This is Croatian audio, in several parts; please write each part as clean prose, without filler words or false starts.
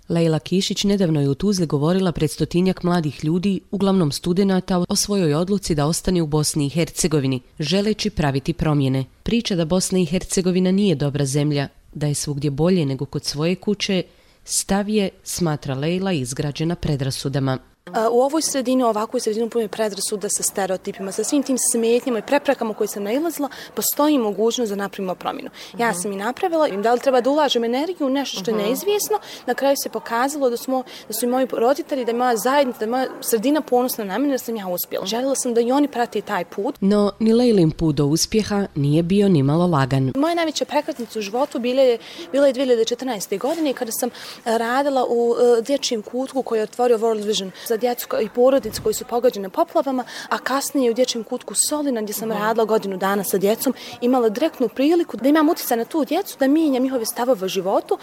Lejla Kišić nedavno je u Tuzli govorila pred 100-tinjak mladih ljudi, uglavnom studenata, o svojoj odluci da ostane u Bosni i Hercegovini, želeći praviti promjene. Priča da Bosna i Hercegovina nije dobra zemlja, da je svugdje bolje nego kod svoje kuće, stav je, smatra Lejla, izgrađena predrasudama. U ovoj sredini, ovakvoj sredini puno je predrasuda sa stereotipima, sa svim tim smetnjama i preprekama koje sam nailazila, postoji mogućnost da napravimo promjenu. Ja sam i napravila, da li treba da ulažem energiju u nešto što je neizvjesno, na kraju se pokazalo da su i moji roditelji, da je moja zajednica, da je moja sredina ponosna na mene, da sam ja uspjela. Željela sam da i oni prate taj put. No, ni Lejlin put do uspjeha nije bio ni malo lagan. Moja najveća prekretnica u životu bila je 2014. godine kada sam radila u dječjem kutku koji je otvorio World Vision za djecu i porodice koji su pogođene poplavama, a kasnije u dječjem kutku Solina gdje sam radila godinu dana sa djecom, imala direktnu priliku da imam utjecaj na tu djecu, da mijenjam njihove stavove u životu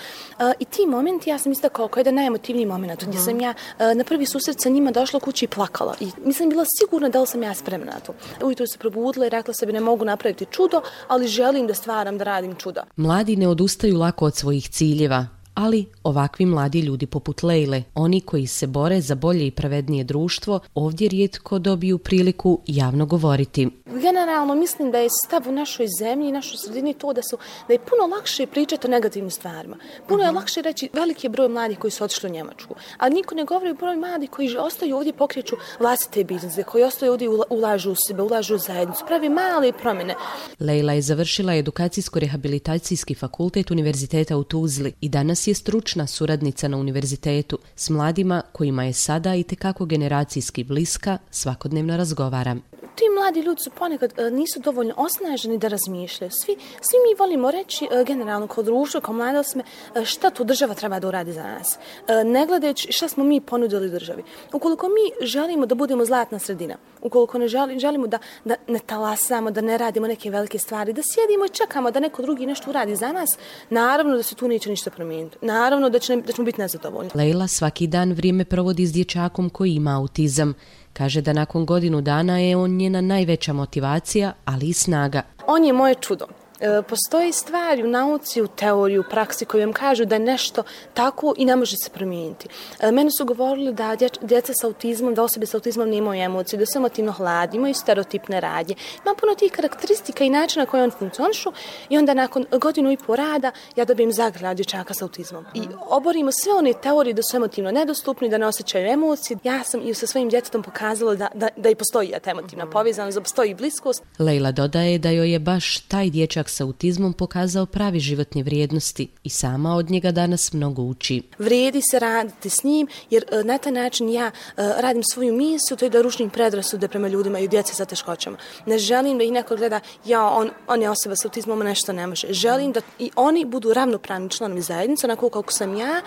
i ti momenti ja sam istakla kao jedan najemotivniji moment gdje sam ja na prvi susret sa njima došla kući i plakala i nisam bila sigurna da li sam ja spremna na to. Ujutro se probudila i rekla sebi ne mogu napraviti čudo, ali želim da stvaram, da radim čudo. Mladi ne odustaju lako od svojih ciljeva, ali ovakvi mladi ljudi poput Lejle, oni koji se bore za bolje i pravednije društvo, ovdje rijetko dobiju priliku javno govoriti. Generalno mislim da je stav u našoj zemlji i našoj sredini to da je puno lakše pričati o negativnim stvarima. Puno je lakše reći veliki broj mladih koji su otišli u Njemačku, ali niko ne govori o broj mladih koji ostaju ovdje, pokreću vlastite biznise, koji ostaju ovdje, ulažu u sebe, ulažu u zajednicu, pravi male promjene. Lejla je završila edukacijsko-rehabilitacijski fakultet Univerziteta u Tuzli i danas je stručna suradnica na univerzitetu. S mladima kojima je sada itekako generacijski bliska, svakodnevno razgovara. Ti mladi ljudi su ponekad nisu dovoljno osnaženi da razmišljaju. Svi mi volimo reći generalno kao društvo, kao mladost, šta tu država treba da uradi za nas. Ne gledajući šta smo mi ponudili državi. Ukoliko mi želimo da budemo zlatna sredina, ukoliko ne želimo da ne talasamo, da ne radimo neke velike stvari, da sjedimo i čekamo da neko drugi nešto uradi za nas, naravno da se tu neće ništa promijeniti. Naravno da ćemo biti nezadovoljni. Lejla svaki dan vrijeme provodi s dječakom koji ima autizam. Kaže da nakon godinu dana je on njena najveća motivacija, ali i snaga. On je moje čudo. Postoji stvari u nauci, u teoriji, u praksi koji vam kažu da je nešto tako i ne može se promijeniti. Meni su govorili da djeca sa autizmom, da osobe sa autizmom nemaju emocije, da su emotivno hladni, imaju stereotipne radnje. Ima puno tih karakteristika i načina koje on funkcionišu i onda nakon godinu i po rada ja dobijem zagrad dječaka sa autizmom. I oborimo sve one teorije da su emotivno nedostupni, da ne osjećaju emocije. Ja sam i sa svojim djetetom pokazala da i postoji ta emotivna povezanost, da postoji bliskost. Lejla dodaje da joj je baš taj dječak sa autizmom pokazao pravi životne vrijednosti i sama od njega danas mnogo uči. Vrijedi se raditi s njim jer na taj način ja radim svoju misiju, to je da rušim predrasude prema ljudima i djece sa teškoćama. Ne želim da ih neko gleda, on je osoba sa autizmom, nešto ne može. Želim da i oni budu ravnopravni članovi zajednice, onako kako sam ja,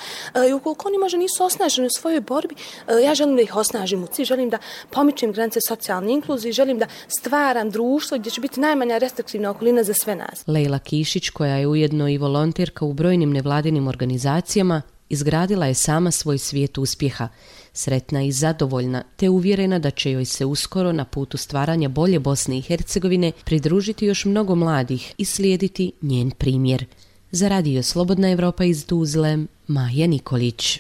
i ukoliko oni možda nisu osnaženi u svojoj borbi, ja želim da ih osnažim u cilj, želim da pomičem granice socijalne inkluzije, želim da stvaram društvo gdje će biti najmanja restriktivna okolina za sve nas. Lejla Kišić, koja je ujedno i volonterka u brojnim nevladinim organizacijama, izgradila je sama svoj svijet uspjeha, sretna i zadovoljna, te uvjerena da će joj se uskoro na putu stvaranja bolje Bosne i Hercegovine pridružiti još mnogo mladih i slijediti njen primjer. Za Radio Slobodna Evropa iz Tuzle, Maja Nikolić.